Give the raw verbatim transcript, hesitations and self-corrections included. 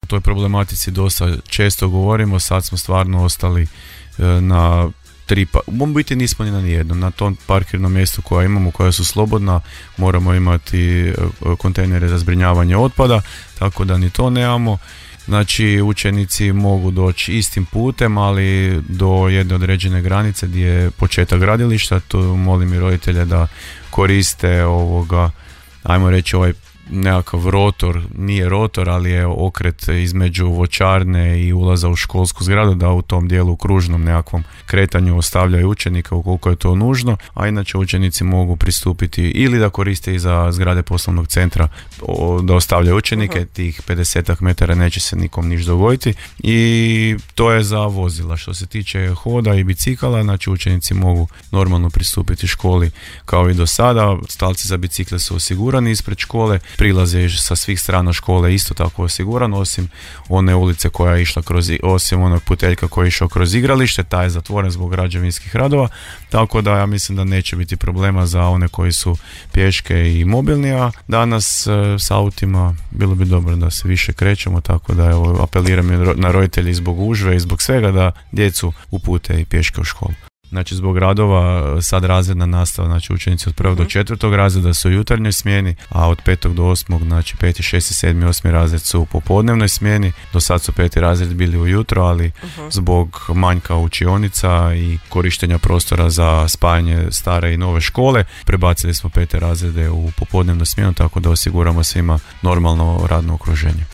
toj problematici dosta često govorimo, sad smo stvarno ostali na tri, pa u biti nismo ni na nijednom, na tom parkirnom mjestu koja imamo, koja su slobodna, moramo imati kontejnere za zbrinjavanje otpada, tako da ni to nemamo. Znači učenici mogu doći istim putem, ali do jedne određene granice gdje je početak gradilišta, tu molim i roditelje da koriste ovoga, ajmo reći ovaj nekakav rotor, nije rotor, ali je okret između voćarne i ulaza u školsku zgradu, da u tom dijelu kružnom nekakvom kretanju ostavljaju učenika ukoliko je to nužno, a inače učenici mogu pristupiti ili da koriste i za zgrade poslovnog centra da ostavljaju učenike, uh-huh. tih pedesetak metara neće se nikom niš dogoditi i to je za vozila. Što se tiče hoda i bicikala, znači učenici mogu normalno pristupiti školi kao i do sada, stalci za bicikle su osigurani ispred škole, prilaz je sa svih strana škole isto tako osiguran, osim one ulice koja je išla kroz, osim onog puteljka koji je išao kroz igralište, taj je zatvoren zbog građevinskih radova, tako da ja mislim da neće biti problema za one koji su pješke i mobilni, a danas e, s autima bilo bi dobro da se više krećemo, tako da evo, apeliram na roditelji zbog gužve i zbog svega da djecu upute i pješke u školu. Znači zbog radova sad razredna nastava, znači učenici od prvog uh-huh. do četvrtog razreda su u jutarnjoj smjeni, a od petog do osmog, znači peti, šesti, sedmi, osmi razred su u popodnevnoj smjeni. Do sad su peti razred bili ujutro, ali uh-huh. zbog manjka učionica i korištenja prostora za spajanje stare i nove škole, prebacili smo pete razrede u popodnevnu smjenu, tako da osiguramo svima normalno radno okruženje.